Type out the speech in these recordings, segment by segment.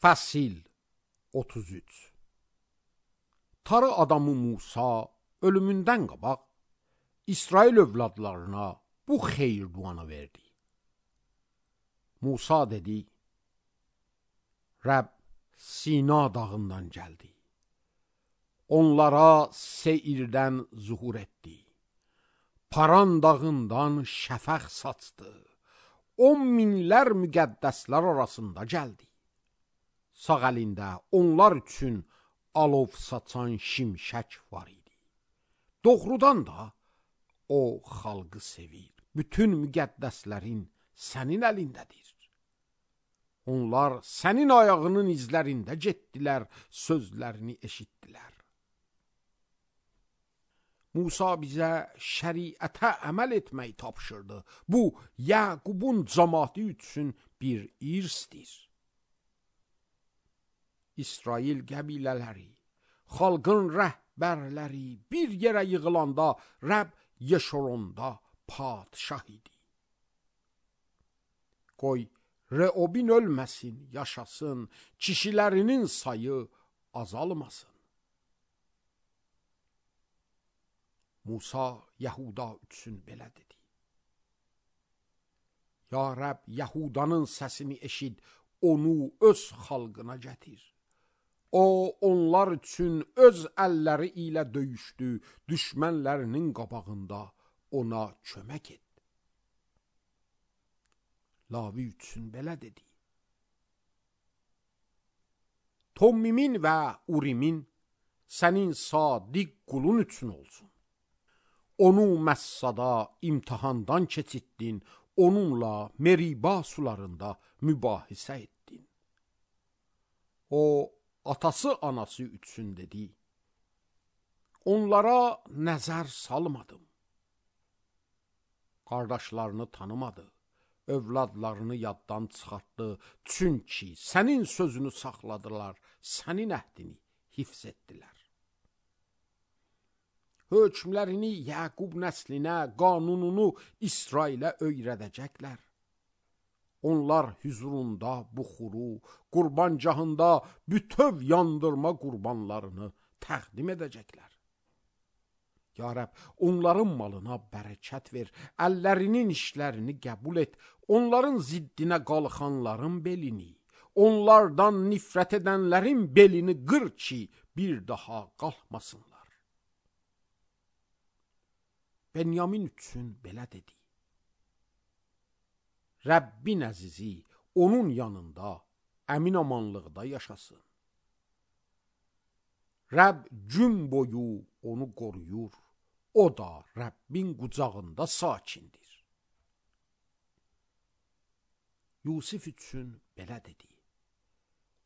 Fəsil 33. Tarı adamı Musa ölümündən qabaq İsrail övladlarına bu xeyir duanı verdi. Musa dedi: Rəbb Sina dağından gəldi. Onlara Seirdən zuhur etdi. Paran dağından şəfəq saçdı. 10 minlər müqəddəslər arasında gəldi. Sağ əlində onlar üçün alov saçan şimşək var idi. Doğrudan da o xalqı sevir. Bütün müqəddəslərin sənin əlindədir. Onlar sənin ayağının izlərində getdilər, sözlərini eşitdilər. Musa bizə şəriətə əməl etməyi tapşırdı. Bu, Yaqubun cəmaatı üçün bir irsdir. İsrail qəbilələri, xalqın rəhbərləri bir yerə yığılanda Rəbb Yeşoronda padşah idi. Qoy Reobin ölməsin, yaşasın, kişilərinin sayı azalmasın. Musa Yahuda üçün belə dedi: Ya Rəbb, Yahudanın səsini eşid, onu öz xalqına gətir. O, onlar üçün öz əlləri ilə döyüşdü, düşmənlərinin qabağında ona kömək et. Lavi üçün belə dedi: Tommimin və Urimin sənin sadiq qulun üçün olsun. Onu Məssada imtihandan keçitdin, onunla Meriba sularında mübahisə etdin. O, atası anası üçün dedi: Onlara nəzər salmadım. Qardaşlarını tanımadı, övladlarını yaddan çıxartdı. Çünki sənin sözünü saxladılar, sənin əhdini hifz etdilər. Hökmlərini Yaqub nəslinə, qanununu İsrailə öyrədəcəklər. Onlar hüzurunda buxuru, qurbancahında bütöv yandırma qurbanlarını təqdim edəcəklər. Ya Rəbb, onların malına bərəkət ver, əllərinin işlərini qəbul et, onların ziddinə qalxanların belini, onlardan nifrət edənlərin belini qır ki, bir daha qalxmasınlar. Benyamin üçün belə dedi: Rəbbin əzizi onun yanında əmin-amanlıqda yaşasın. Rəbb gün boyu onu qoruyur, o da Rəbbin qucağında sakindir. Yusif üçün belə dedi: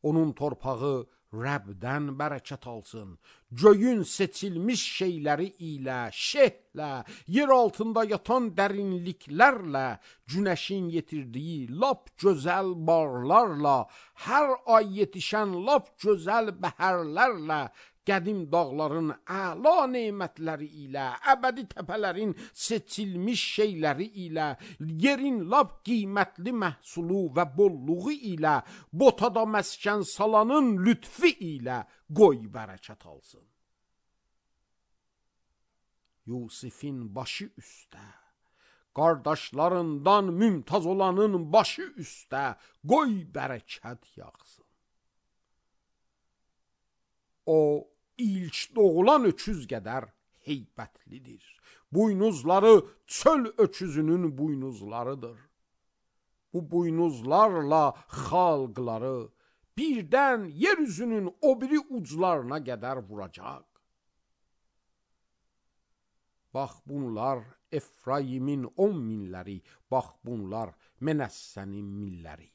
Onun torpağı Rəbdən bərəkət alsın. Göyün seçilmiş şeyləri ilə, şehlə, yer altında yatan dərinliklərlə, günəşin yetirdiyi lap gözəl barlarla, hər ay yetişən lap gözəl bəhərlərlə, qədim dağların əla nemətləri ilə, əbədi təpələrin seçilmiş şeyləri ilə, yerin lap qiymətli məhsulu və bolluğu ilə, botada məskən salanın lütfi ilə qoy bərəkət alsın. Yusifin başı üstə, qardaşlarından mümtaz olanın başı üstə qoy bərəkət yağsın. O, İlk doğulan öküz qədər heybətlidir. Buynuzları çöl öküzünün buynuzlarıdır. Bu buynuzlarla xalqları birdən yeryüzünün o biri uclarına qədər vuracaq. Bax bunlar Efraimin 10 minləri, bax bunlar Menəssənin minləri.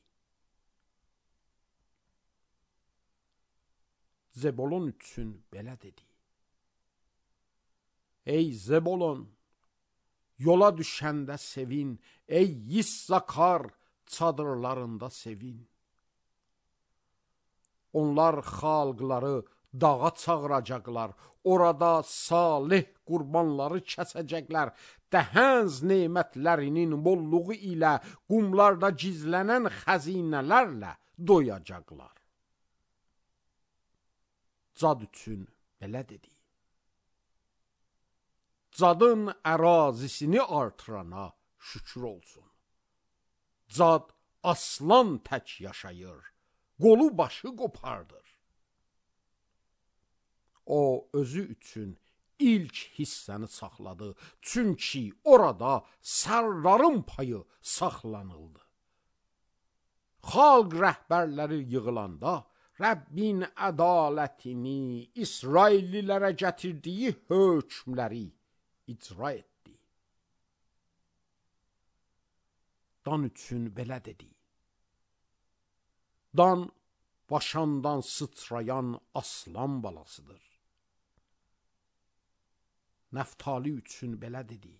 Zebolon üçün belə dedi: Ey Zebolon, yola düşəndə sevin, ey Yissakar, çadırlarında sevin. Onlar xalqları dağa çağıracaqlar, orada salih qurbanları kəsəcəklər, dəhənz nemətlərinin bolluğu ilə qumlarda gizlənən xəzinələrlə doyacaqlar. Cad üçün belə dedi: Cadın ərazisini artırana şükür olsun. Cad aslan tək yaşayır, qolu başı qopardır. O özü üçün ilk hissəni saxladı, çünki orada sərdarın payı saxlanıldı. Xalq rəhbərləri yığılanda Rəbbin ədalətini, İsraillilərə gətirdiyi hökmləri icra etdi. Dan üçün belə dedi: Dan başandan sıçrayan aslan balasıdır. Nəftali üçün belə dedi: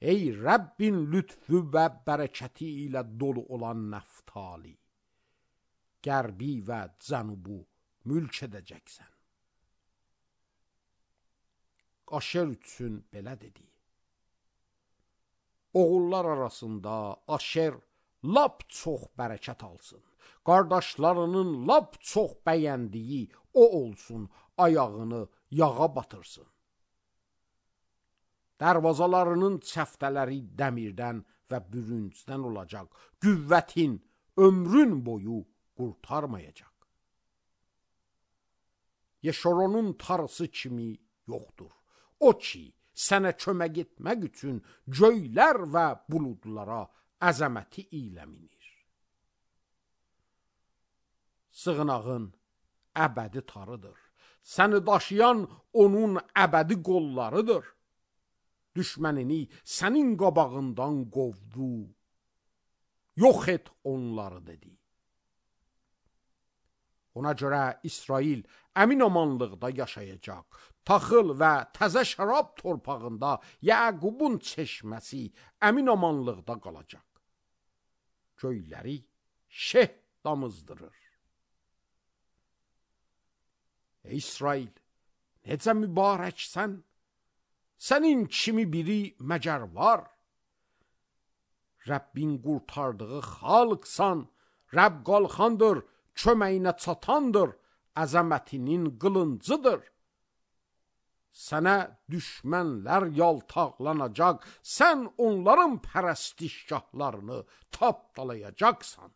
Ey Rəbbin lütfü və bərəkəti ilə dolu olan Nəftali, qərbi və cənubu mülk edəcəksən. Aşer üçün belə dedi: Oğullar arasında Aşer lap çox bərəkət alsın. Qardaşlarının lap çox bəyəndiyi o olsun, ayağını yağa batırsın. Dərvazalarının çəftələri dəmirdən və bürüncdən olacaq. Qüvvətin ömrün boyu qurtarmayacaq. Yeşoronun tarısı kimi yoxdur. O ki, sənə kömək etmək üçün göylər və buludlara əzəməti ilə minir. Sığınağın əbədi tarıdır. Səni daşıyan onun əbədi qollarıdır. Düşmənini sənin qabağından qovdu. Yox et onları dedi. Ona görə İsrail əmin-amanlıqda yaşayacaq. Taxıl və təzə şərab torpağında Yəqubun çeşməsi əmin-amanlıqda qalacaq. Göyləri şeh damızdırır. Ey İsrail, necə mübarəksən? Sənin kimi biri məgər var? Rəbbin qurtardığı xalqsan, Rəbb qalxandır, köməyinə çatandır, əzəmətinin qılıncıdır. Sənə düşmənlər yaltaqlanacaq, sən onların pərəstişgahlarını tapdalayacaqsan.